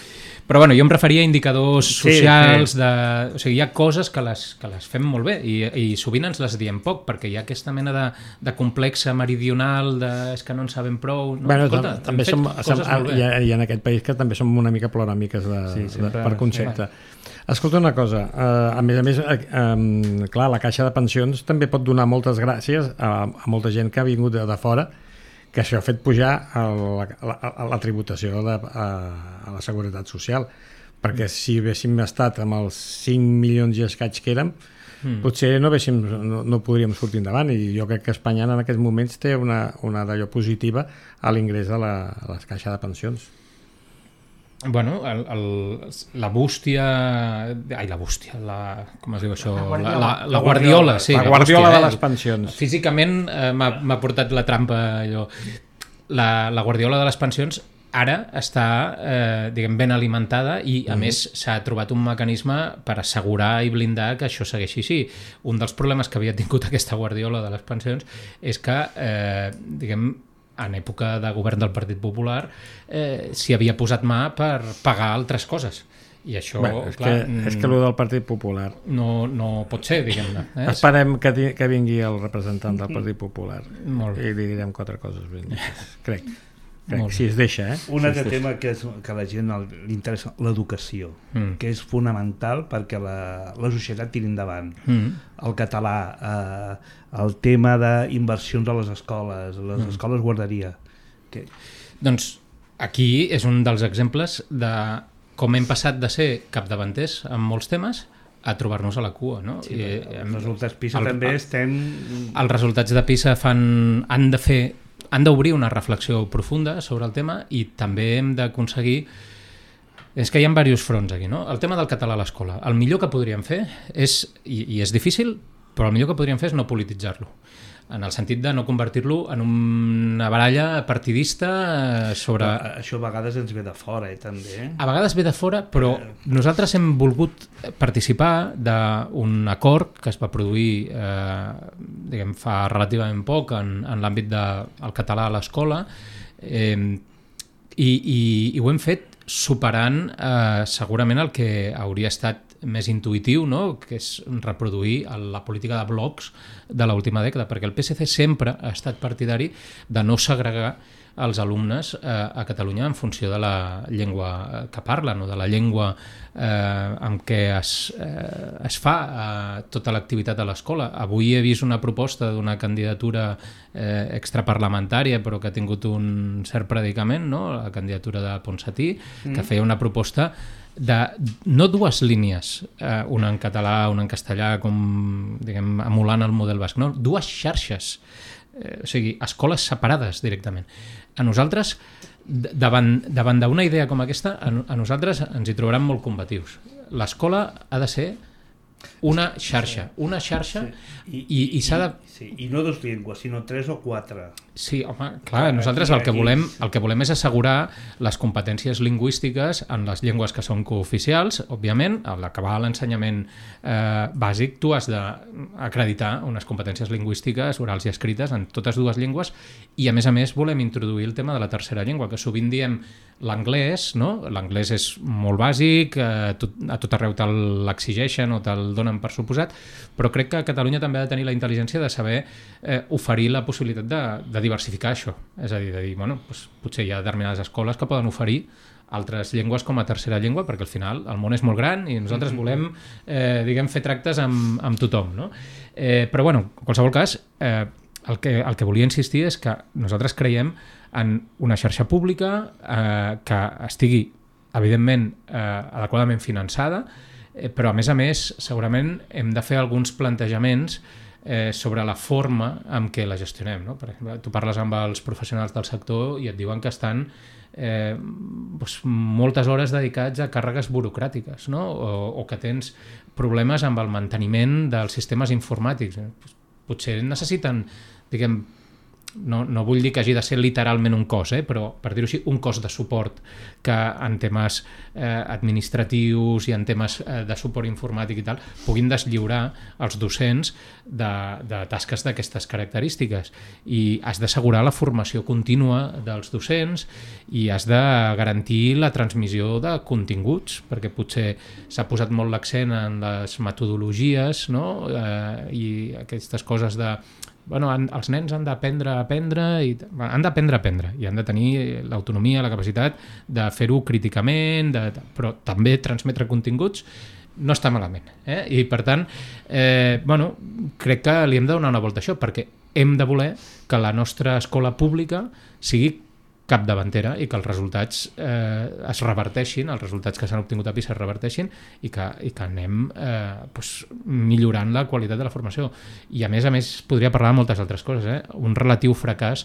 Però bueno, jo em referia a indicadors socials, o sigui, hi ha coses que les fem molt bé i sovint ens les diem poc, perquè hi ha aquesta mena de complexa meridional, és que no en sabem prou. Bueno, escolta, també i en aquest país que també som una mica ploramiques per concepte. Escolta una cosa, a més, clar, la Caixa de Pensions també pot donar moltes gràcies a molta gent que ha vingut de fora, que això ha fet pujar la tributació a la Seguretat Social, perquè si haguéssim estat amb els 5 milions i escaig que érem, potser no podríem sortir endavant, i jo crec que Espanya en aquests moments té una d'allò positiva a l'ingrés a la Caixa de Pensions. Bueno, la bústia... Ai, la bústia, com es diu això? La guardiola, sí. La guardiola de les pensions. Físicament m'ha portat la trampa, allò. La guardiola de les pensions ara està, diguem, ben alimentada i, a més, s'ha trobat un mecanisme per assegurar i blindar que això segueixi així. Un dels problemes que havia tingut aquesta guardiola de les pensions és que, diguem, en època de govern del Partit Popular s'hi havia posat mà per pagar altres coses. I això, és que el del Partit Popular no pot ser, diguem-ne. Esperem que vingui el representant del Partit Popular i li direm 4 coses ben dites. Crec, si es deixa. Un altre tema que a la gent li interessa, l'educació, que és fonamental perquè la societat tiri endavant. El català, el tema d'inversions a les escoles guarderia. Doncs aquí és un dels exemples de com hem passat de ser capdavanters en molts temes a trobar-nos a la cua, no? Sí, els resultats PISA també estem... Els resultats de PISA han d'obrir una reflexió profunda sobre el tema i també hem d'aconseguir... És que hi ha diversos fronts aquí, no? El tema del català a l'escola. El millor que podríem fer és, i és difícil, però el millor que podríem fer és no polititzar-lo, en el sentit de no convertir-lo en una baralla partidista sobre... Això a vegades ens ve de fora, també. A vegades ve de fora, però nosaltres hem volgut participar d'un acord que es va produir diguem, fa relativament poc en l'àmbit del català a l'escola i ho hem fet superant segurament el que hauria estat més intuïtiu, no? Que és reproduir la política de blocs de l'última dècada, perquè el PSC sempre ha estat partidari de no segregar els alumnes a Catalunya en funció de la llengua que parlen o de la llengua amb què es fa tota l'activitat a l'escola. Avui he vist una proposta d'una candidatura extraparlamentària però que ha tingut un cert predicament, no? La candidatura de Ponsatí, que feia una proposta de no 2 línies, una en català, una en castellà, com diguem, emulant el model basc, no, 2 xarxes, o sigui, escoles separades directament. A nosaltres davant d'una idea com aquesta, a nosaltres ens hi trobaran molt combatius. L'escola ha de ser una xarxa i s'ha de... Sí, i no 2 llengües, sinó 3 o 4. Sí, home, clar, nosaltres el que volem és assegurar les competències lingüístiques en les llengües que són cooficials, òbviament, a l'acabar l'ensenyament bàsic tu has d'acreditar unes competències lingüístiques orals i escrites en totes dues llengües i a més volem introduir el tema de la tercera llengua, que sovint diem l'anglès, no? L'anglès és molt bàsic, a tot arreu te l'exigeixen o te'l donen per suposat, però crec que Catalunya també ha de tenir la intel·ligència de saber oferir la possibilitat de diversificar això. És a dir, bueno, doncs, potser hi ha determinades escoles que poden oferir altres llengües com a tercera llengua, perquè al final el món és molt gran i nosaltres volem fer tractes amb tothom. No? Però, bueno, en qualsevol cas, el que volia insistir és que nosaltres creiem en una xarxa pública que estigui, evidentment, adequadament finançada, però, a més, segurament hem de fer alguns plantejaments sobre la forma amb què la gestionem. No? Per exemple, tu parles amb els professionals del sector i et diuen que estan moltes hores dedicats a càrregues burocràtiques, no? o que tens problemes amb el manteniment dels sistemes informàtics. Potser necessiten, no vull dir que hagi de ser literalment un cos, però per dir-ho així, un cos de suport que en temes administratius i en temes de suport informàtic i tal puguin deslliurar els docents de tasques d'aquestes característiques, i has d'assegurar la formació contínua dels docents i has de garantir la transmissió de continguts, perquè potser s'ha posat molt l'accent en les metodologies, no? I aquestes coses de els nens han d'aprendre a aprendre i han d'aprendre a aprendre i han de tenir l'autonomia, la capacitat de fer-ho críticament, però també transmetre continguts no està malament. I per tant, crec que li hem de donar una volta a això, perquè hem de voler que la nostra escola pública sigui capdavantera i que els resultats es reverteixin, els resultats que s'han obtingut a PISA es reverteixin i que anem millorant la qualitat de la formació. I a més podria parlar de moltes altres coses. Un relatiu fracàs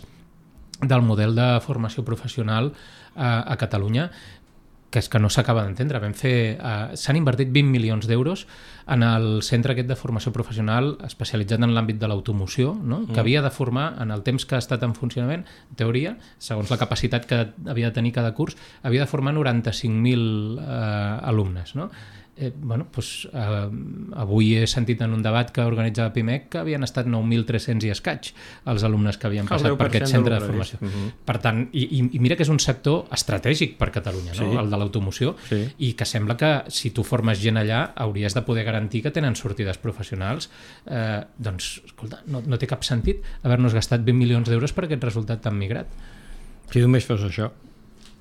del model de formació professional a Catalunya, que és que no s'acaba d'entendre. S'han invertit 20 milions d'euros en el centre aquest de formació professional especialitzat en l'àmbit de l'automoció, no? Que havia de formar, en el temps que ha estat en funcionament, en teoria, segons la capacitat que havia de tenir cada curs, havia de formar 95.000 alumnes, no? Avui he sentit en un debat que organitzava PIMEC que havien estat 9.300 i escaig els alumnes que havien passat per aquest centre de formació. Per tant, i mira que és un sector estratègic per Catalunya, no? El de l'automoció, i que sembla que si tu formes gent allà hauries de poder garantir que tenen sortides professionals. Doncs, escolta, no té cap sentit haver-nos gastat 20 milions d'euros per aquest resultat tan migrat. Si només fos això.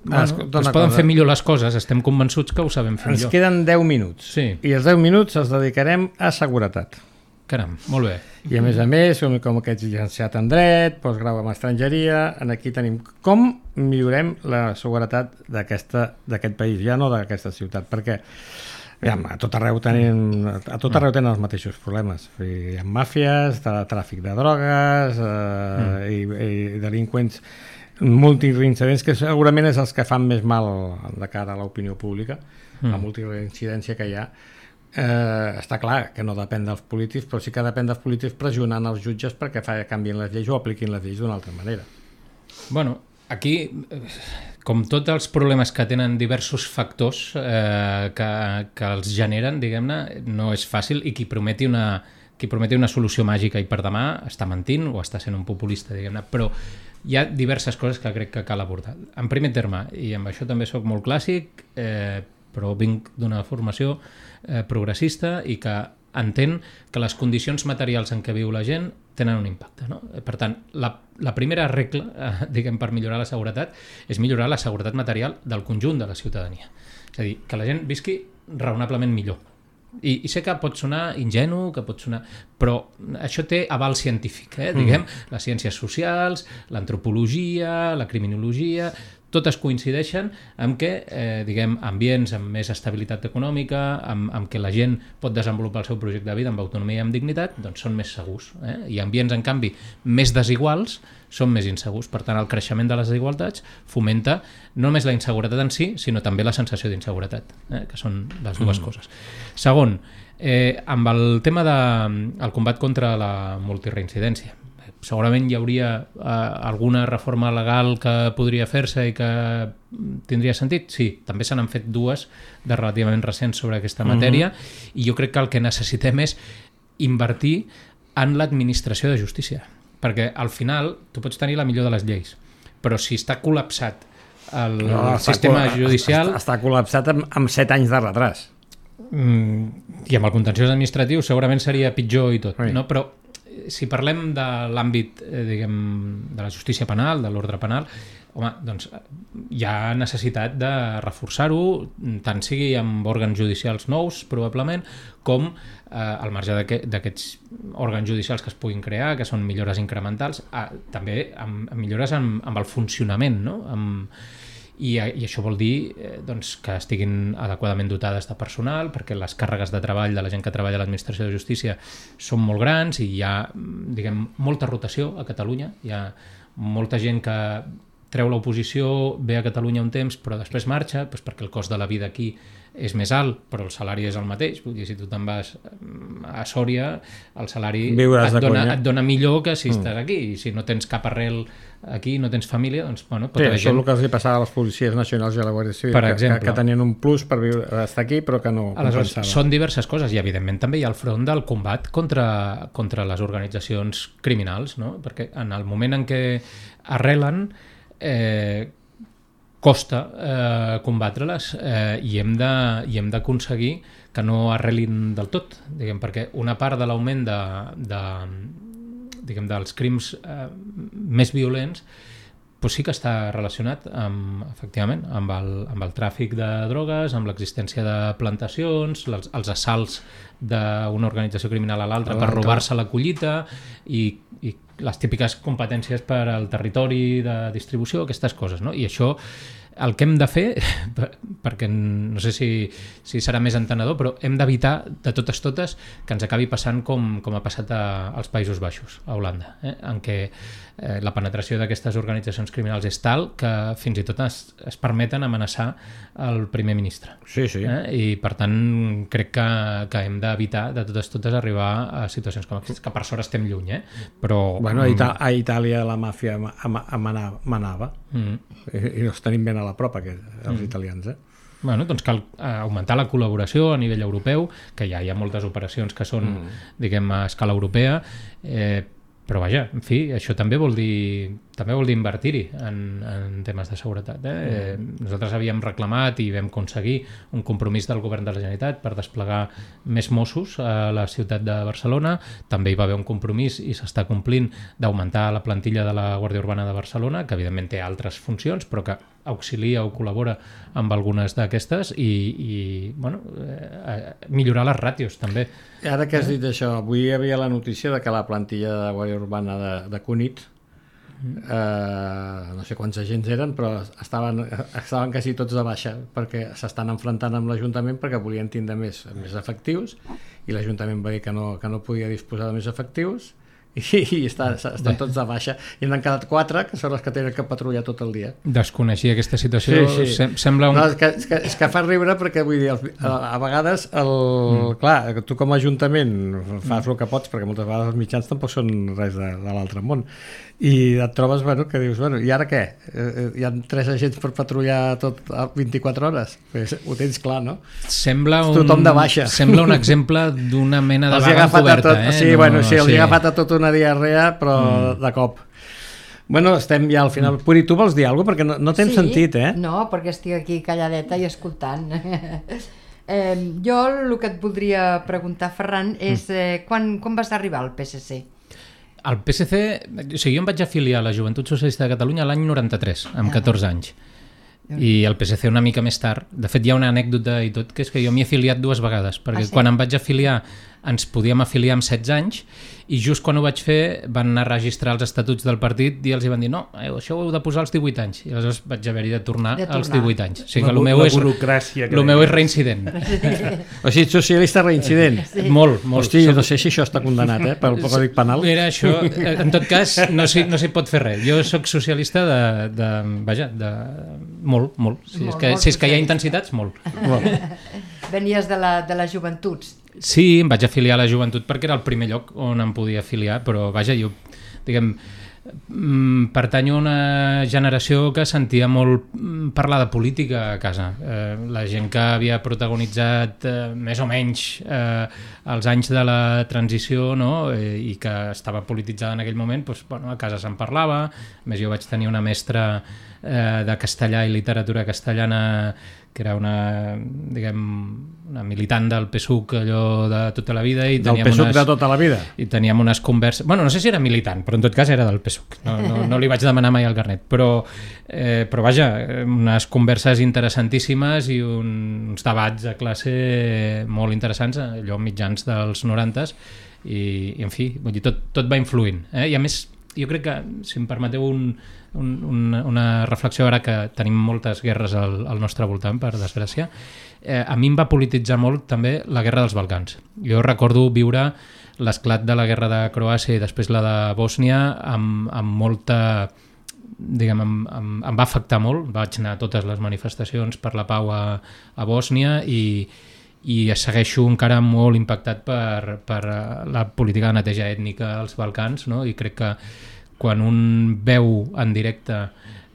Es poden fer millor les coses, estem convençuts que ho sabem fer millor. Ens queden 10 minuts, i els 10 minuts els dedicarem a seguretat. Caram, molt bé. I a més, com aquests llicenciat en dret, postgrau en estrangeria, aquí tenim com millorem la seguretat d'aquest país, ja no d'aquesta ciutat, perquè a tot arreu tenen els mateixos problemes. Hi ha màfies, tràfic de drogues i delinqüents multireincidents, que segurament és els que fan més mal de cara a l'opinió pública, la multireincidència que hi ha. Està clar que no depèn dels polítics, però sí que depèn dels polítics pressionant els jutges perquè canviïn les lleis o apliquin les lleis d'una altra manera. Bueno, aquí, com tots els problemes que tenen diversos factors que els generen, diguem-ne, no és fàcil, i qui prometi una solució màgica i per demà està mentint o està sent un populista, diguem-ne, però hi ha diverses coses que crec que cal abordar. En primer terme, i amb això també soc molt clàssic, però vinc d'una formació progressista i que entén que les condicions materials en què viu la gent tenen un impacte, no? Per tant, la primera regla, per millorar la seguretat, és millorar la seguretat material del conjunt de la ciutadania. És a dir, que la gent visqui raonablement millor. I sé que pot sonar ingenu, però això té aval científic, les ciències socials, l'antropologia, la criminologia, totes coincideixen amb que, diguem, ambients amb més estabilitat econòmica, amb que la gent pot desenvolupar el seu projecte de vida amb autonomia i amb dignitat, doncs són més segurs. I ambients, en canvi, més desiguals són més insegurs. Per tant, el creixement de les desigualtats fomenta no només la inseguretat en si, sinó també la sensació d'inseguretat, que són les dues coses. Segon, amb el tema del combat contra la multireincidència. Segurament hi hauria alguna reforma legal que podria fer-se i que tindria sentit? Sí, també se n'han fet dues de relativament recents sobre aquesta matèria i jo crec que el que necessitem és invertir en l'administració de justícia, perquè al final tu pots tenir la millor de les lleis, però si està col·lapsat el sistema judicial... Està col·lapsat amb 7 anys de retras. I amb el contenciós administratiu segurament seria pitjor i tot, no? Però si parlem de l'àmbit, diguem, de la justícia penal, de l'ordre penal, home, doncs hi ha necessitat de reforçar-ho, tant sigui amb òrgans judicials nous, probablement, com al marge d'aquests òrgans judicials que es puguin crear, que són millores incrementals, també amb millores amb el funcionament, no? I això vol dir doncs, que estiguin adequadament dotades de personal, perquè les càrregues de treball de la gent que treballa a l'administració de justícia són molt grans i hi ha, diguem, molta rotació a Catalunya. Hi ha molta gent que treu l'oposició, ve a Catalunya un temps, però després marxa, doncs perquè el cost de la vida aquí és més alt, però el salari és el mateix. Vull dir, si tu te'n vas a Sòria, el salari et dona millor que si estàs aquí. I si no tens cap arrel aquí, no tens família, doncs, bueno... Sí, això és el que els passava a les policies nacionals i a la Guàrdia Civil, que tenien un plus per estar aquí, però que no compensava. Són diverses coses, i evidentment també hi ha el front del combat contra les organitzacions criminals, no? Perquè en el moment en què arrelen... costa combatre-les i hem d'aconseguir que no arrelin del tot, diguem, perquè una part de l'augment dels crims més violents doncs sí que està relacionat efectivament amb el tràfic de drogues, amb l'existència de plantacions, els assalts d'una organització criminal a l'altra per robar-se la collita i les típiques competències per al territori de distribució, aquestes coses, no? I això, el que hem de fer, perquè no sé si serà més entenedor, però hem d'evitar de totes que ens acabi passant com ha passat als Països Baixos, a Holanda, en què la penetració d'aquestes organitzacions criminals és tal que fins i tot es permeten amenaçar el primer ministre. Sí, sí. I per tant crec que hem d'evitar de totes arribar a situacions com aquestes, que per sort estem lluny, però... Bueno, a Itàlia la màfia manava i els tenim ben a la prop, els italians, Bueno, doncs cal augmentar la col·laboració a nivell europeu, que ja hi ha moltes operacions que són, diguem, a escala europea, però vaja, en fi, això també vol dir invertir-hi en temes de seguretat. Nosaltres havíem reclamat i vam aconseguir un compromís del govern de la Generalitat per desplegar més Mossos a la ciutat de Barcelona. També hi va haver un compromís i s'està complint d'augmentar la plantilla de la Guàrdia Urbana de Barcelona, que evidentment té altres funcions, però que auxilia o col·labora amb algunes d'aquestes i millorar les ràtios també. Ara que has dit això, avui hi havia la notícia de que la plantilla de la Guàrdia Urbana de Cunit, no sé quants agents eren, però estaven quasi tots de baixa perquè s'estan enfrontant amb l'Ajuntament perquè volien tindre més efectius i l'Ajuntament va dir que no podia disposar de més efectius i estan tots de baixa i n'han quedat 4 que són els que tenen que patrullar tot el dia. Desconeixia aquesta situació. Sí. Sembla un... No, és que fa riure perquè vull dir, a vegades clar, tu com a Ajuntament fas el que pots perquè moltes vegades els mitjans tampoc són res de l'altre món i et trobes que dius, i ara què? Hi ha 3 agents per patrullar tot a 24 hores? Pues, ho tens clar, no? Tothom de baixa. Sembla un exemple d'una mena de vaga encoberta. Sí, els he agafat a tota una diarrea, però de cop. Bueno, estem ja al final. Puri, tu vols dir alguna cosa? Perquè no tens sentit, No, perquè estic aquí calladeta i escoltant. Jo el que et voldria preguntar, Ferran, és quan vas arribar al PSC? El PSC, o sigui, jo em vaig afiliar a la Joventut Socialista de Catalunya l'any 93, amb 14 anys. i el PSC una mica més tard. De fet, hi ha una anècdota i tot, que és que jo m'hi he afiliat 2 vegades, perquè quan em vaig afiliar ens podíem afiliar amb 16 anys i just quan ho vaig fer van anar a registrar els estatuts del partit i els hi van dir no, això ho heu de posar als 18 anys i aleshores vaig haver-hi de tornar als 18 anys. O sigui que el meu és reincident. O sigui, socialista reincident. Molt. Hosti, no sé si això està condemnat, pel Codi Penal. Era això, en tot cas, no s'hi pot fer res. Jo sóc socialista de molt. Si és que hi ha intensitats, molt. Venies de les joventuts. Sí, em vaig afiliar a la joventut perquè era el primer lloc on em podia afiliar, però vaja, jo, diguem, pertanyo a una generació que sentia molt parlar de política a casa. La gent que havia protagonitzat més o menys els anys de la transició, no? I que estava polititzada en aquell moment, doncs, bueno, a casa se'n parlava. A més, jo vaig tenir una mestra de castellà i literatura castellana que era una militant del PSUC allò de tota la vida. Del PSUC de tota la vida? I teníem unes converses... Bueno, no sé si era militant, però en tot cas era del PSUC. No li vaig demanar mai el carnet. Però vaja, unes converses interessantíssimes i uns debats a classe molt interessants, allò mitjans dels 90s, i en fi, vull dir, tot va influint. I a més, jo crec que, si em permeteu una reflexió ara que tenim moltes guerres al nostre voltant, per desgràcia, a mi em va polititzar molt també la guerra dels Balcans. Jo recordo viure l'esclat de la guerra de Croàcia i després la de Bòsnia amb molta... diguem, em va afectar molt. Vaig anar a totes les manifestacions per la pau a Bòsnia i segueixo encara molt impactat per la política de neteja ètnica als Balcans, no? I crec que quan un veu en directe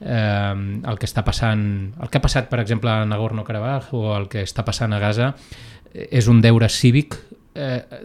el que està passant, el que ha passat, per exemple, a Nagorno-Karabakh o el que està passant a Gaza, és un deure cívic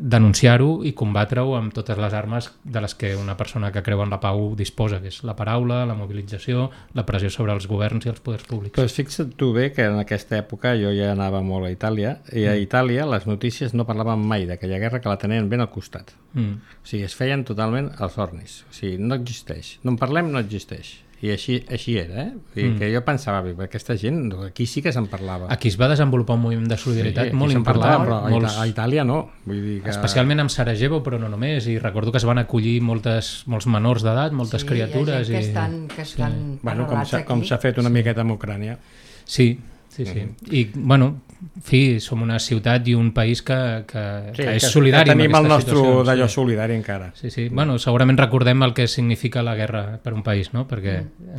denunciar-ho i combatre-ho amb totes les armes de les que una persona que creu en la pau disposa, que és la paraula, la mobilització, la pressió sobre els governs i els poders públics. Però fixa't tu bé que en aquesta època jo ja anava molt a Itàlia i a Itàlia les notícies no parlaven mai d'aquella guerra, que la tenien ben al costat. O sigui, es feien totalment als ornis. O sigui, no existeix. No en parlem, no existeix. I així era, que jo pensava, aquesta gent, aquí sí que se'n parlava. Aquí es va desenvolupar un moviment de solidaritat molt important. Però a Itàlia no. Vull dir que... Especialment amb Sarajevo, però no només. I recordo que es van acollir molts menors d'edat, moltes criatures. Hi ha gent que estan bueno, com s'ha fet una miqueta amb Ucrània. Sí. I, bueno, en fi, som una ciutat i un país que és solidari. Que tenim el nostre d'allò solidari encara. Sí. Bueno, segurament recordem el que significa la guerra per un país, no? Perquè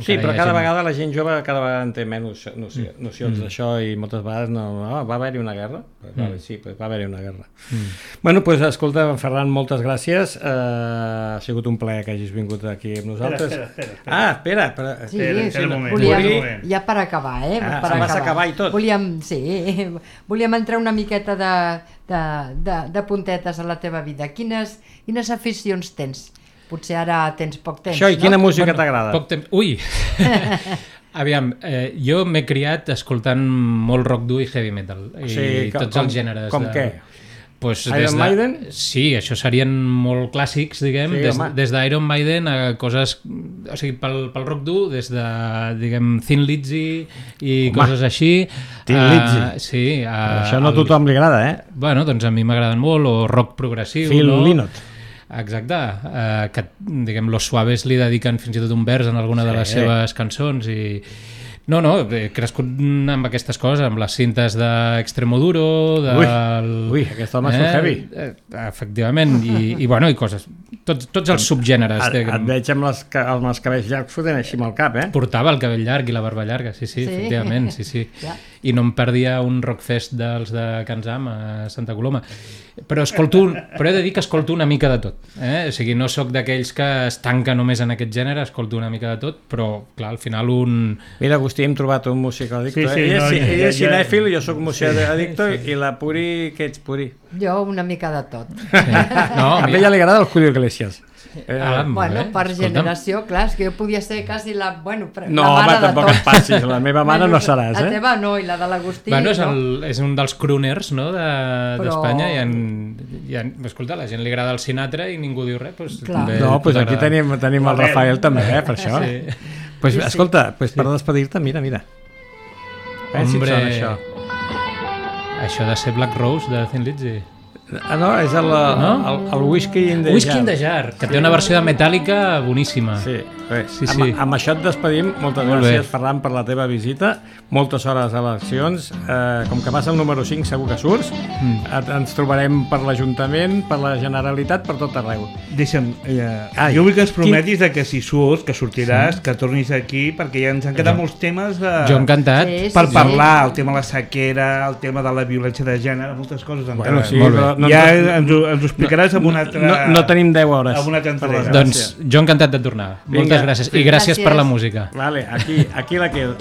sí, però cada vegada la gent jove cada vegada en té menys nocions d'això i moltes vegades va haver-hi una guerra? Sí, va haver-hi una guerra. Bueno, doncs escolta, Ferran, moltes gràcies. Ha sigut un plaer que hagis vingut aquí amb nosaltres. Espera. Sí, volíem, ja per acabar, vas acabar i tot. Volíem entrar una miqueta de puntetes a la teva vida. Quines aficions tens? Potser ara tens poc temps. Això, i quina música t'agrada? Poc temps. Ui! Aviam, jo m'he criat escoltant molt rock dur i heavy metal. I tots els gèneres. Com què? Iron Maiden? Sí, això serien molt clàssics, diguem, des d'Iron Maiden a coses, o sigui, pel rock dur, des de, diguem, Thin Lizzy i coses així. Thin Lizzy? Sí. Això no a tothom li agrada, Bueno, doncs a mi m'agraden molt, o rock progressiu. Phil Lynott. Exacte, que, diguem, Los Suaves li dediquen fins i tot un vers en alguna de les seves cançons i... No, he crescut amb aquestes coses, amb les cintes d'Extremoduro, Ui, aquest home és heavy. Efectivament, i bueno, i coses, tots els subgèneres. Et veig amb els cabells llargs fotent així amb el cap, Portava el cabell llarg i la barba llarga, sí, efectivament, sí. I no em perdia un rockfest dels de Can Zam a Santa Coloma. Però he de dir que escolto una mica de tot. O sigui, no sóc d'aquells que es tanca només en aquest gènere, escolto una mica de tot, però, clar, al final Mira, Agustí, hem trobat un musicadicto. Ell és cinèfil, jo sóc musicadicto, i la Puri, què ets, Puri? Jo una mica de tot. A ella li agrada el Julio Iglesias. Bueno, per generació, clar, és que jo podia ser quasi la mare de tot. No, home, tampoc et passis, la meva mare no seràs, La teva no, i la de l'Agustí. Bueno, és un dels crooners, no?, d'Espanya, escolta, a la gent li agrada el Sinatra i ningú diu res. No, doncs aquí tenim el Rafael també, per això. Escolta, per despedir-te, mira. Hombre, això de ser Black Rose de Thin Lizzy. No, és el Whiskey in the Jar. Whiskey in the Jar, que té una versió de Metallica boníssima. Sí, amb això et despedim. Moltes gràcies, Ferran, per la teva visita. Moltes hores a eleccions. Com que passa el número 5, segur que surts. Ens trobarem per l'Ajuntament, per la Generalitat, per tot arreu. Deixa'm, jo vull que ens prometis que si surts, que sortiràs, que tornis aquí, perquè ja ens han quedat molts temes jo encantat per parlar, el tema de la sequera, el tema de la violència de gènere, moltes coses encara. Sí, però ja ens ho explicaràs amb una altra... No tenim 10 hores. Amb una altra entrega. Doncs jo encantat de tornar. Moltes gràcies. I gràcies per la música. Vale, aquí la quedo.